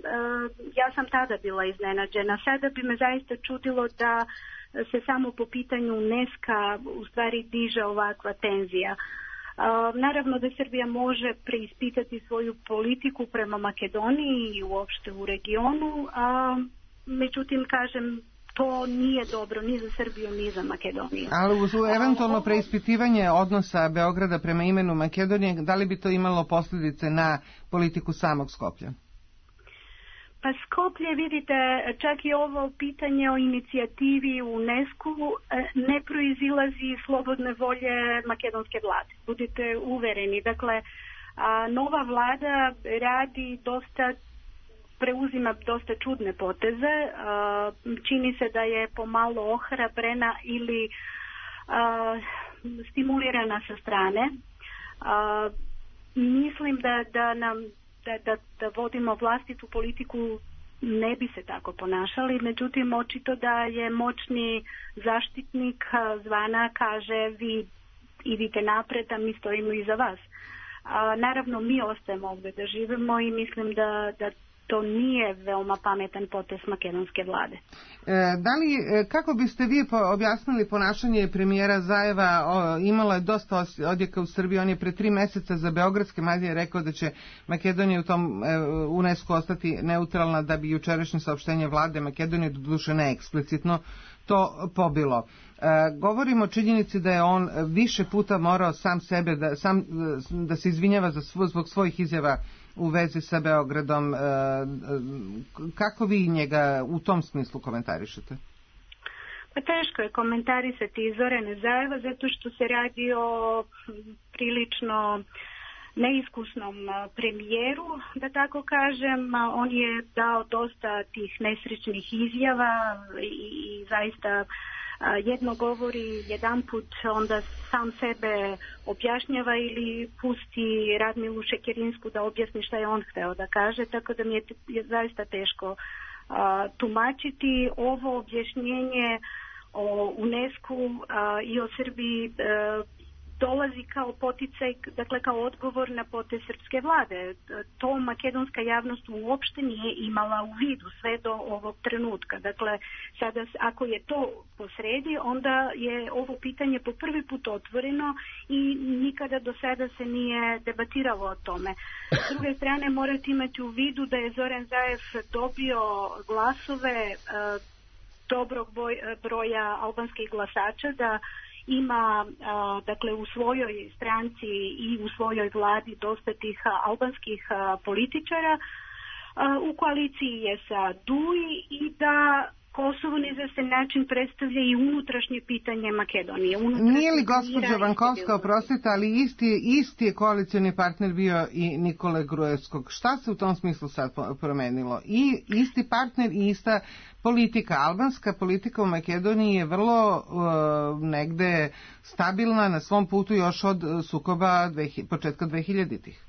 ja sam tada bila iznenađena. Sada bi me zaista čudilo da se samo po pitanju UNESCO-a u stvari diže ovakva tenzija. Naravno da Srbija može preispitati svoju politiku prema Makedoniji i uopšte u regionu, a međutim, kažem, to nije dobro ni za Srbiju, ni za Makedoniju. Ali uz eventualno preispitivanje odnosa Beograda prema imenu Makedonije, da li bi to imalo posljedice na politiku samog Skoplja? Pa Skoplje, vidite, čak i ovo pitanje o inicijativi u UNESCO ne proizilazi iz slobodne volje makedonske vlade. Budite uvereni. Dakle, nova vlada radi dosta, preuzima dosta čudne poteze. Čini se da je pomalo ohrabrena ili stimulirana sa strane. Mislim da, da nam Da, da, da vodimo vlastitu politiku ne bi se tako ponašali, međutim očito da je moćni zaštitnik zvana kaže vi idite napred, a mi stojimo iza vas. A, naravno mi ostajemo ovdje da živimo i mislim da, da to nije veoma pametan potez makedonske vlade. E, da li, kako biste vi objasnili ponašanje premijera Zajeva? O, imalo je dosta odjeka u Srbiji, on je pre tri meseca za beogradske medije rekao da će Makedonija u tom e, UNESCO ostati neutralna, da bi jučerašnje saopštenje vlade Makedonije, doduše ne eksplicitno, to pobilo. E, govorimo o činjenici da je on više puta morao sam sebe da, sam, da se izvinjava za svo, zbog svojih izjava u vezi sa Beogradom. E, kako vi njega u tom smislu komentarišete? Pa teško je komentarisati Zorana Zajeva zato što se radi o prilično neiskusnom premijeru, da tako kažem. On je dao dosta tih nesrećnih izjava i, i zaista jedno govori jedan put, onda sam sebe objašnjava ili pusti Radmilu Šekerinsku da objasni šta je on hteo da kaže, tako da mi je, je zaista teško a, tumačiti. Ovo objašnjenje o UNESCO a, i o Srbiji a, dolazi kao poticaj, dakle kao odgovor na potez srpske vlade. To makedonska javnost uopšte nije imala u vidu sve do ovog trenutka. Dakle, sada ako je to posredi, onda je ovo pitanje po prvi put otvoreno i nikada do sada se nije debatiralo o tome. S druge strane, morate imati u vidu da je Zoran Zaev dobio glasove dobrog broja albanskih glasača, da ima a, dakle u svojoj stranci i u svojoj vladi dosta tih albanskih a, političara. A, u koaliciji je sa D U I i da Kosovo na izvestan način predstavlja i unutrašnje pitanje Makedonije. Nije li gospođa Vankovska, oprostite, ali isti, isti je koalicioni partner bio i Nikole Gruevskog. Šta se u tom smislu sad promenilo? I isti partner i ista politika. Albanska politika u Makedoniji je vrlo uh, negde stabilna na svom putu još od sukoba dve, početka dvehiljaditih.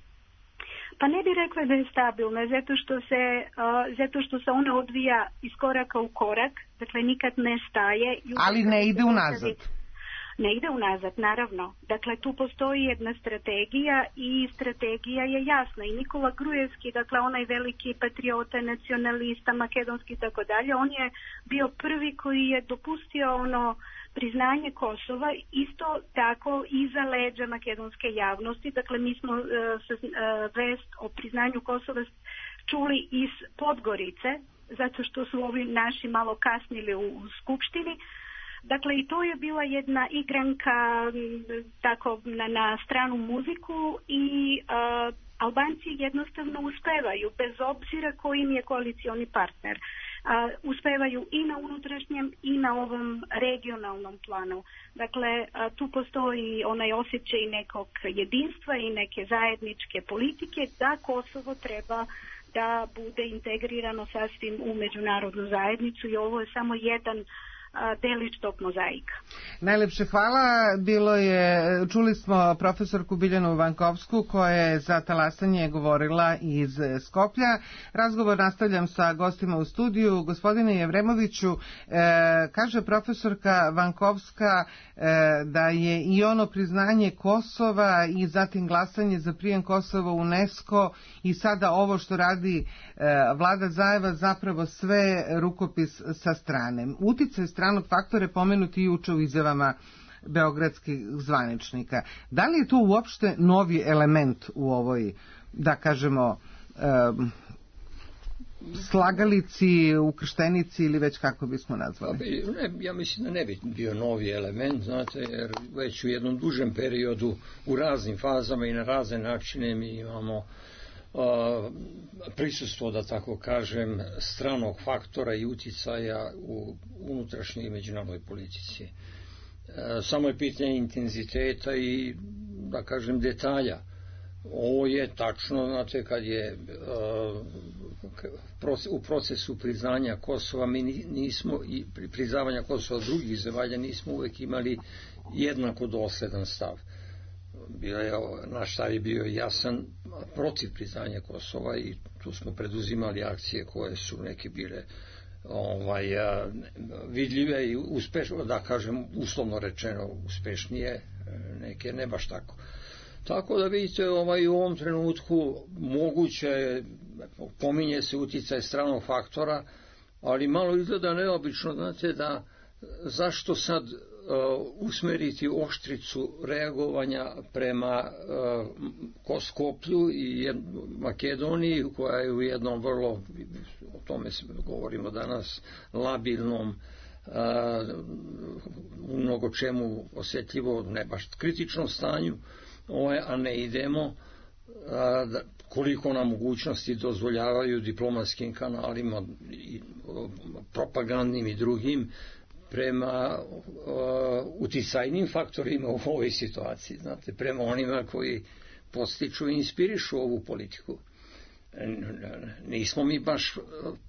Pa ne bih rekla da je stabilna, zato što se, uh, zato što se ona odvija iz koraka u korak, dakle nikad ne staje. Ali ne ide unazad. Ne ide unazad, naravno. Dakle, tu postoji jedna strategija i strategija je jasna. I Nikola Gruevski, dakle onaj veliki patriota, nacionalista, makedonski i tako dalje, on je bio prvi koji je dopustio ono priznanje Kosova isto tako iza leđa makedonske javnosti. Dakle, mi smo uh, uh, vest o priznanju Kosova čuli iz Podgorice, zato što su ovi naši malo kasnili u, u Skupštini. Dakle, i to je bila jedna igranka tako na, na stranu muziku i uh, Albanci jednostavno uspevaju, bez obzira koji im je koalicioni partner. Uh, uspevaju i na unutrašnjem i na ovom regionalnom planu. Dakle, uh, tu postoji onaj osjećaj nekog jedinstva i neke zajedničke politike da Kosovo treba da bude integrirano sasvim u međunarodnu zajednicu i ovo je samo jedan delić tog mozaika. Najlepše hvala. Bilo je, čuli smo profesorku Biljanu Vankovsku koja je za talasanje govorila iz Skoplja. Razgovor nastavljam sa gostima u studiju. Gospodine Jevremoviću, e, kaže profesorka Vankovska e, da je i ono priznanje Kosova i zatim glasanje za prijem Kosova u UNESCO i sada ovo što radi e, vlada Zajeva zapravo sve rukopis sa strane. Uticaj stranog faktora pomenuti juče u izjavama beogradskih zvaničnika. Da li je to uopšte novi element u ovoj, da kažemo, um, slagalici, ukrštenici ili već kako bismo nazvali? Ne, ja mislim da ne bi bio novi element, znate, jer već u jednom dužem periodu u raznim fazama i na razne načine mi imamo Uh, prisustvo, da tako kažem, stranog faktora i uticaja u unutrašnjoj i međunarodnoj politici. Uh, samo je pitanje intenziteta i, da kažem, detalja. Ovo je tačno, znate, kad je uh, u procesu priznanja Kosova, mi nismo, i priznavanja Kosova od drugih zemalja, nismo uvek imali jednako dosledan stav. Bio je, naš stav je bio jasan protiv priznanja Kosova i tu smo preduzimali akcije koje su neke bile ovaj, vidljive i uspešne, da kažem uslovno rečeno uspešnije, neke ne baš tako. Tako da vidite, ovaj, u ovom trenutku moguće, pominje se uticaj stranog faktora, ali malo izgleda neobično, znate, da zašto sad Uh, usmeriti oštricu reagovanja prema uh, Skoplju i Makedoniji, koja je u jednom vrlo, o tome govorimo danas, labilnom, uh, u mnogo čemu osjetljivo, ne baš kritičnom stanju, ovaj, a ne idemo uh, da, koliko nam mogućnosti dozvoljavaju diplomatskim kanalima i uh, propagandnim i drugim prema uh, uticajnim faktorima u ovoj situaciji, znate, prema onima koji podstiču i inspirišu ovu politiku. Nismo mi baš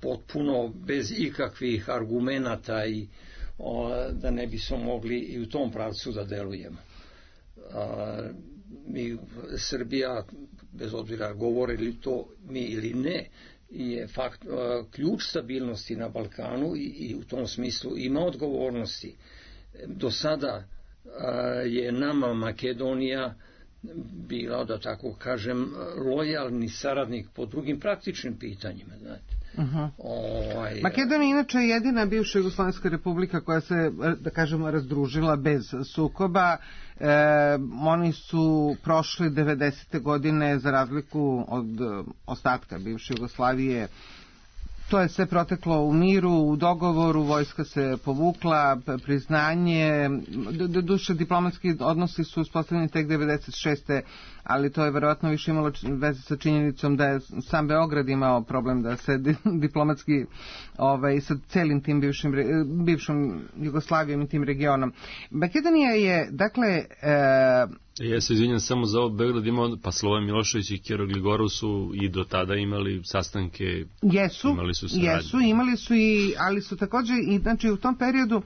potpuno bez ikakvih argumenata i uh, da ne bismo mogli i u tom pravcu da delujemo. Uh, mi, Srbija, bez obzira govorili to mi ili ne, je fakt, ključ stabilnosti na Balkanu i, i u tom smislu ima odgovornosti. Do sada je nama Makedonija bila, da tako kažem, lojalni saradnik po drugim praktičnim pitanjima, znate. Uh-huh. Ovaj, Makedonija inače je jedina bivša Jugoslovenska republika koja se, da kažemo, razdružila bez sukoba. E, oni su prošli devedesete godine, za razliku od ostatka bivše Jugoslavije, to je sve proteklo u miru, u dogovoru, vojska se povukla, priznanje, do duše diplomatski odnosi su uspostavljeni tek devedeset šeste ali to je verovatno više imalo veze sa činjenicom da je sam Beograd imao problem da se diplomatski ovaj, sa celim tim bivšim, bivšom Jugoslavijom i tim regionom. Makedonija je, dakle... E, Ja se izvinjam samo za ovo, Beograd imao, pa Slobodan Milošević i Kero Gligorov su i do tada imali sastanke, jesu, imali su saradnje. Jesu, imali su i, ali su također, i, znači u tom periodu,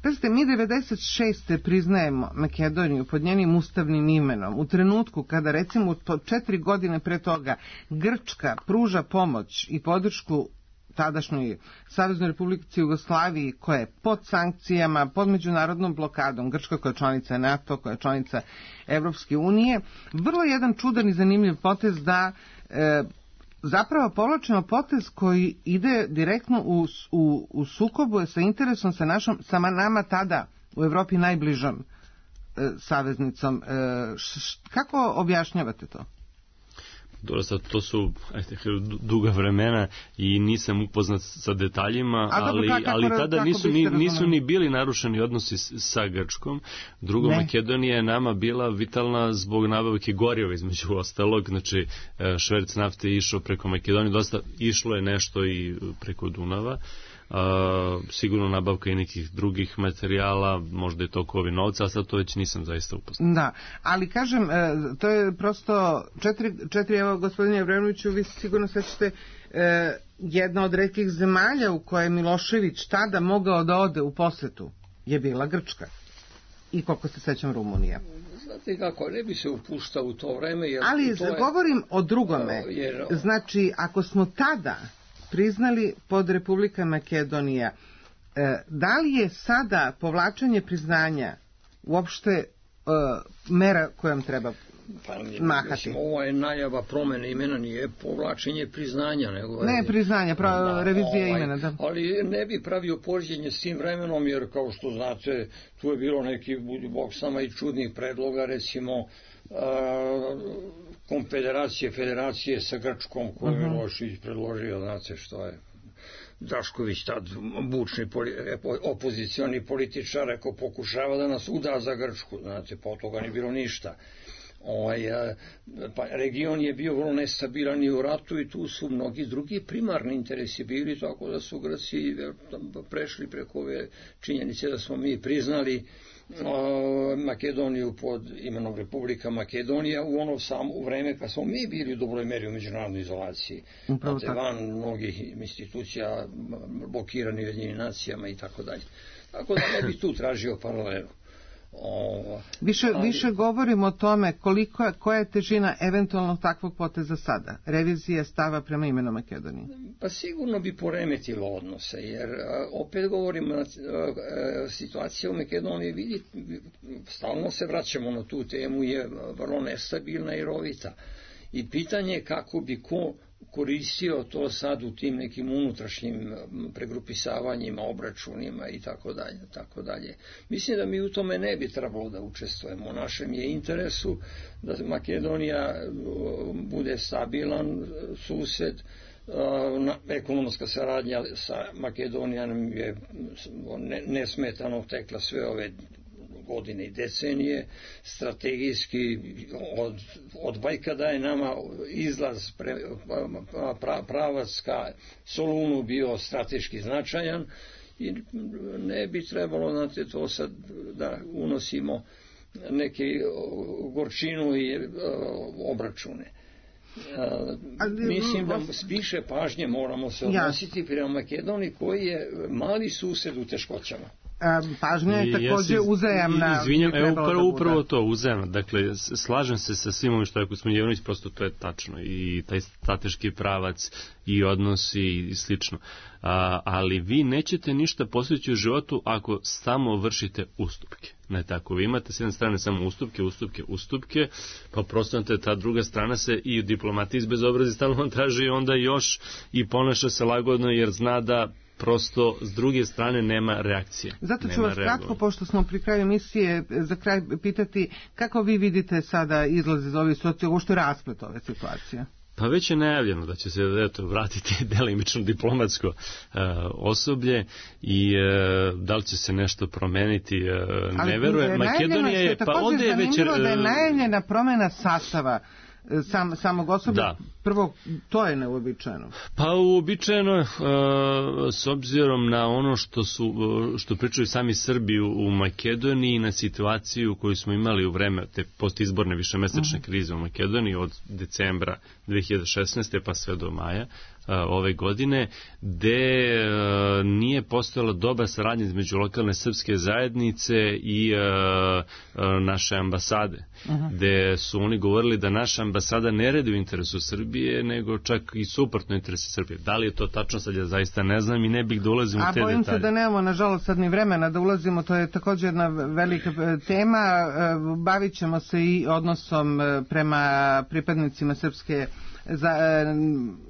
pazite, mi devedeset šeste priznajemo Makedoniju pod njenim ustavnim imenom, u trenutku kada recimo četiri godine pre toga Grčka pruža pomoć i podršku tadašnjoj Saveznoj Republici Jugoslaviji koja je pod sankcijama, pod međunarodnom blokadom, Grčka koja je članica NATO, koja je članica Evropske unije, vrlo jedan čudan i zanimljiv potez da e, zapravo povlačimo potez koji ide direktno u, u, u sukobu sa interesom sa našom, sama nama tada u Evropi najbližom e, saveznicom. E, š, š, kako objašnjavate to? Dobro, sad to su ajde, duga vremena i nisam upoznat sa detaljima, ali, ali tada nisu ni, nisu ni bili narušeni odnosi sa Grčkom. Drugo, ne. Makedonija je nama bila vitalna zbog nabavke goriva između ostalog, znači šverc nafte je išao preko Makedonije, dosta išlo je nešto i preko Dunava. Uh, sigurno nabavka i nekih drugih materijala, možda je tokovi novca, a sad to već nisam zaista upoznat. Da, ali kažem, to je prosto četiri, četiri evo gospodine Jevrenoviću, vi sigurno sećate eh, jedna od retkih zemalja u kojoj je Milošević tada mogao da ode u posetu je bila Grčka. I koliko se sećam Rumunija. Znate kako, ne bi se upuštao u to vreme. Jer ali to je, govorim o drugome. Jer, znači, ako smo tada priznali pod Republika Makedonija, da li je sada povlačenje priznanja uopšte mera kojom treba pa, mahati? Mislim, ovo je najava promene imena, nije povlačenje priznanja. Nego ne, priznanja, prav, da, revizija ovaj, imena. Da. Ali ne bi pravio poređenje s tim vremenom, jer kao što znate, tu je bilo neki, bog sama i čudnih predloga, recimo, konfederacije, federacije sa Grčkom koju je Milošević predložio, znate što je Drašković, tad bučni poli, opozicioni političar, rekao pokušava da nas uda za Grčku, znate, po toga nije bilo ništa. Ovaj, pa, region je bio vrlo nestabilan i u ratu i tu su mnogi drugi primarni interesi bili, tako da su Grci prešli preko ove činjenice da smo mi priznali Makedoniju pod imenom Republika Makedonija u ono samo u vreme kad smo mi bili u dobroj meri u međunarodnoj izolaciji. Znate, van mnogih institucija, blokirani Ujedinjenim nacijama i tako dalje. Tako da ne bi tu tražio paralelu. O, više, ali, više govorimo o tome koliko, koja je težina eventualno takvog poteza sada, revizija stava prema imenu Makedonije. Pa sigurno bi poremetilo odnose, jer opet govorimo na situacija u Makedoniji, vidi, stalno se vraćamo na tu temu, je vrlo nestabilna i rovita. I pitanje je kako bi ko koristio to sad u tim nekim unutrašnjim pregrupisavanjima, obračunima i tako dalje, tako dalje. Mislim da mi u tome ne bi trebalo da učestvujemo. U našem je interesu da Makedonija bude stabilan sused, ekonomska saradnja sa Makedonijom je nesmetano tekla sve ove godine i decenije, strategijski od, od vajkada je nama izlaz pre, pra, pravac ka Solunu bio strateški značajan i ne bi trebalo, znate, to sad da unosimo neke gorčinu i uh, obračune. Uh, mislim da više pažnje moramo se odnositi prema Makedoniji koji je mali sused u teškoćama. Pažnja je također uzajamna. Izvinjam, evo upravo, upravo to, uzajamna. Dakle, slažem se sa svim ovim što je gospodin Jovanović, prosto to je tačno. I taj strateški pravac i odnosi i slično. A, ali vi nećete ništa postići u životu ako samo vršite ustupke. Ne tako, vi imate s jedne strane samo ustupke, ustupke, ustupke, pa prosto ta druga strana se i u diplomatiji bezobrazi stalno vam traži onda još i ponaša se lagodno jer zna da prosto s druge strane nema reakcije. Zato ću vas kratko, pošto smo pri kraju emisije, za kraj pitati kako vi vidite sada izlaz iz ove situacije, ovo što je rasplet ove situacije? Pa već je najavljeno da će se eto, vratiti delimično diplomatsko uh, osoblje i uh, da li će se nešto promeniti, uh, ne veruje. Makedonija je, pa ovdje je već... da je najavljena promjena sastava Sam, samog osoblja, da. Prvo, to je neuobičajeno. Pa uobičajeno, uh, s obzirom na ono što su što pričaju sami Srbi u Makedoniji, na situaciju koju smo imali u vreme te postizborne višemesečne uh-huh. krize u Makedoniji od decembra dve hiljade šesnaeste pa sve do maja ove godine, gde e, nije postojala dobra saradnja između lokalne srpske zajednice i e, e, naše ambasade, uh-huh. gde su oni govorili da naša ambasada ne radi u interesu Srbije, nego čak i suprotno interesu Srbije. Da li je to tačno, sad ja zaista ne znam i ne bih da ulazim u te detalje. A bojim se da nemamo, nažalost, sad ni vremena da ulazimo, to je također jedna velika tema. Bavit ćemo se i odnosom prema pripadnicima srpske za, e,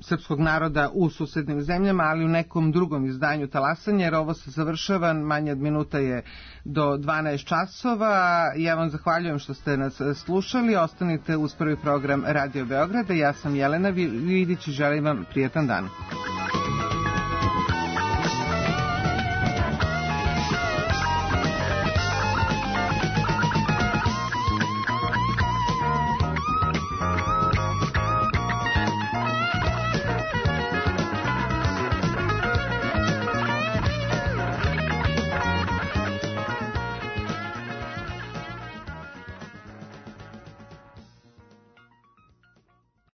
srpskog naroda u susednim zemljama, ali u nekom drugom izdanju Talasanje, jer ovo se završava, manje od minuta je do dvanaest časova. Ja vam zahvaljujem što ste nas slušali. Ostanite uz prvi program Radio Beograda. Ja sam Jelena Vidić i želim vam prijetan dan.